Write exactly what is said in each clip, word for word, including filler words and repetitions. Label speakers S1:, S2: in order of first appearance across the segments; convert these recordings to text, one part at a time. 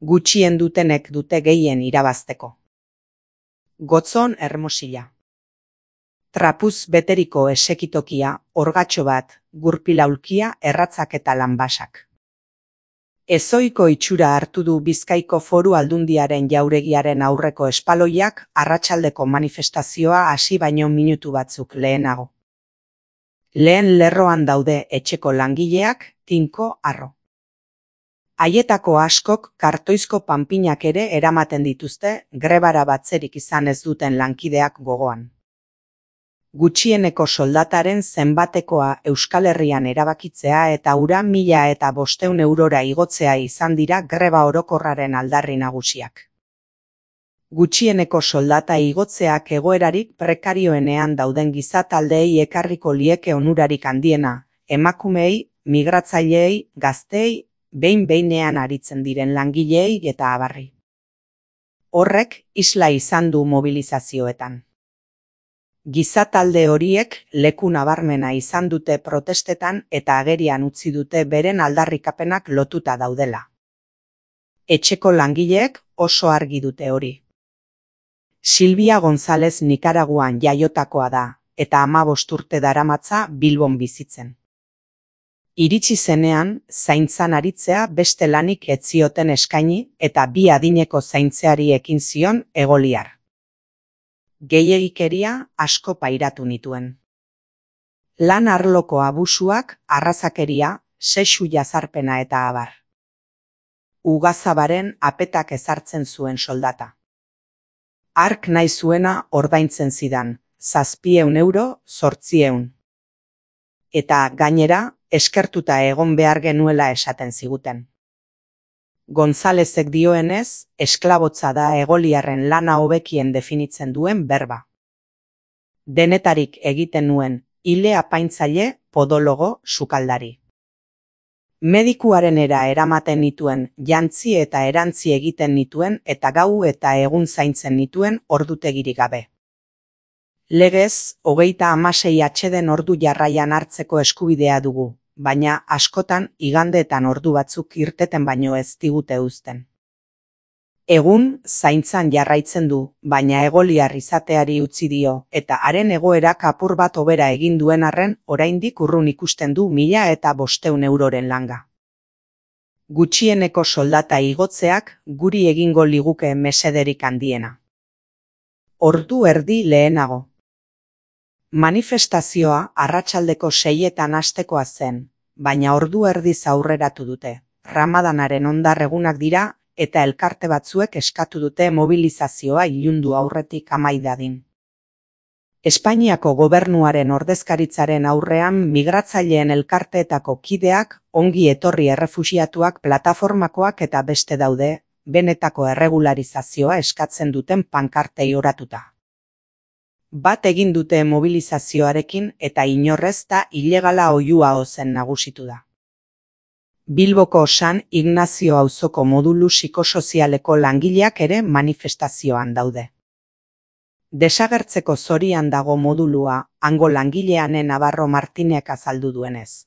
S1: Gutxien dutenek dute gehien irabazteko. Gotzon Hermosilla. Trapuz beteriko esekitokia, orgatxo bat, gurpilaulkia, erratzak eta lanbasak. Ezoiko itxura hartu du Bizkaiko Foru Aldundiaren jauregiaren aurreko espaloiak arratsaldeko manifestazioa hasi baino minutu batzuk lehenago. Lehen lerroan daude etxeko langileak, tinko harro. Haietako askok kartoizko panpinak ere eramaten dituzte grebara batzerik izan ez duten lankideak gogoan. Gutxieneko soldataren zenbatekoa Euskal Herrian erabakitzea eta ura mila eta bosteun eurora igotzea izan dira greba orokorraren aldarri nagusiak. Gutxieneko soldata igotzeak egoerarik prekarioenean dauden gizataldeei ekarriko lieke onurarik handiena, emakumeei, migratzaileei, gazteei, behin-behinean aritzen diren langileei eta abarri. Horrek isla izan du mobilizazioetan. Gizatalde horiek leku nabarmena izan dute protestetan eta agerian utzi dute beren aldarrikapenak lotuta daudela. Etxeko langileek oso argi dute hori. Silvia González Nikaraguan jaiotakoa da, eta hamabost urte daramatza Bilbon bizitzen. Iritsi zenean, zaintzan aritzea beste lanik ez zioten eskaini eta bi adineko zaintzeari ekin zion egoliar. Gehiegikeria asko pairatu nituen. Lan arloko abusuak, arrazakeria, sexu jazarpena eta abar. Ugazabaren apetak ezartzen zuen soldata. Ark nahi zuena ordaintzen zidan, zazpieun euro, zortzieun. Eta gainera, eskertuta egon behar genuela esaten ziguten. Gonzalezek dioenez, esklabotza da egoliarren lana hobekien definitzen duen berba. Denetarik egiten nuen, hile apaintzaile, podologo, sukaldari. Medikuarenera eramaten nituen, jantzi eta erantzi egiten nituen eta gau eta egun zaintzen nituen ordutegirik gabe. Legez, hogeita hamasei atsedeen ordu jarraian hartzeko eskubidea dugu, baina askotan igandeetan ordu batzuk irteten baino ez digute uzten. Egun zaintzan jarraitzen du, baina egoliar izateari utzi dio, eta haren egoerak apur bat hobera egin duen arren oraindik urrun ikusten du mila eta bosteun euroren langa. Gutxieneko soldata igotzeak guri egingo liguke mesederik handiena. Ordu erdi lehenago. Manifestazioa arratsaldeko seietan hastekoa zen, baina ordu erdiz aurreratu dute. Ramadanaren ondar egunak dira eta elkarte batzuek eskatu dute mobilizazioa ilundu aurretik amai dadin. Espainiako gobernuaren ordezkaritzaren aurrean migratzaileen elkarteetako kideak, ongi etorri errefuxiatuak plataformakoak eta beste daude, benetako erregularizazioa eskatzen duten pankartei oratuta. Bat egin dute mobilizazioarekin eta inorrez da ilegala oihua ozen nagusitu da. Bilboko San Ignazio auzoko modulu psikosozialeko langileak ere manifestazioan daude. Desagertzeko zorian dago modulua, hango langileanen Navarro Martinek azaldu duenez.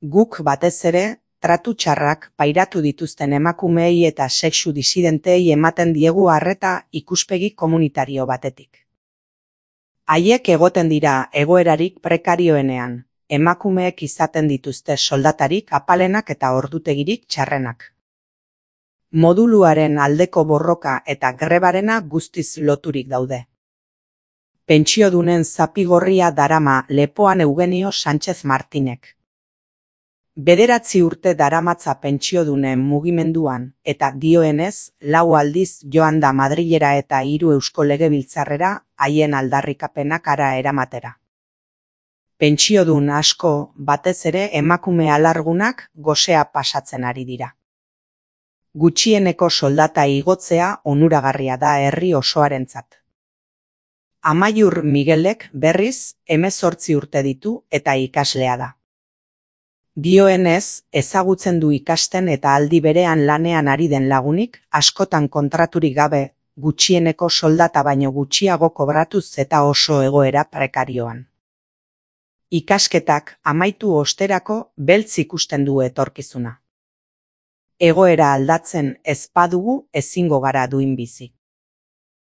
S1: Guk batez ere, tratu txarrak pairatu dituzten emakumeei eta sexu disidentei ematen diegu arreta ikuspegi komunitario batetik. Haiek egoten dira egoerarik prekarioenean, emakumeek izaten dituzte soldatarik apalenak eta ordutegirik txarrenak. Moduluaren aldeko borroka eta grebarena guztiz loturik daude. Pentsiodunen zapigorria darama lepoan Eugenio Sánchez Martinek. Bederatzi urte daramatza pentsiodunen mugimenduan eta dioenez lau aldiz joan da Madrilera eta hiru Eusko Legebiltzarrera haien aldarrikapenak ara eramatera. Pentsiodun asko, batez ere emakume alargunak gosea pasatzen ari dira. Gutxieneko soldata igotzea onuragarria da herri osoarentzat. Amaiur Miguelek berriz hemezortzi urte ditu eta ikaslea da. Dioenez, ezagutzen du ikasten eta aldi berean lanean ari den lagunik, askotan kontraturik gabe, gutxieneko soldata baino gutxiago kobratuz eta oso egoera prekarioan. Ikasketak amaitu osterako beltz ikusten du etorkizuna. Egoera aldatzen ez badugu ezingo gara duin bizi.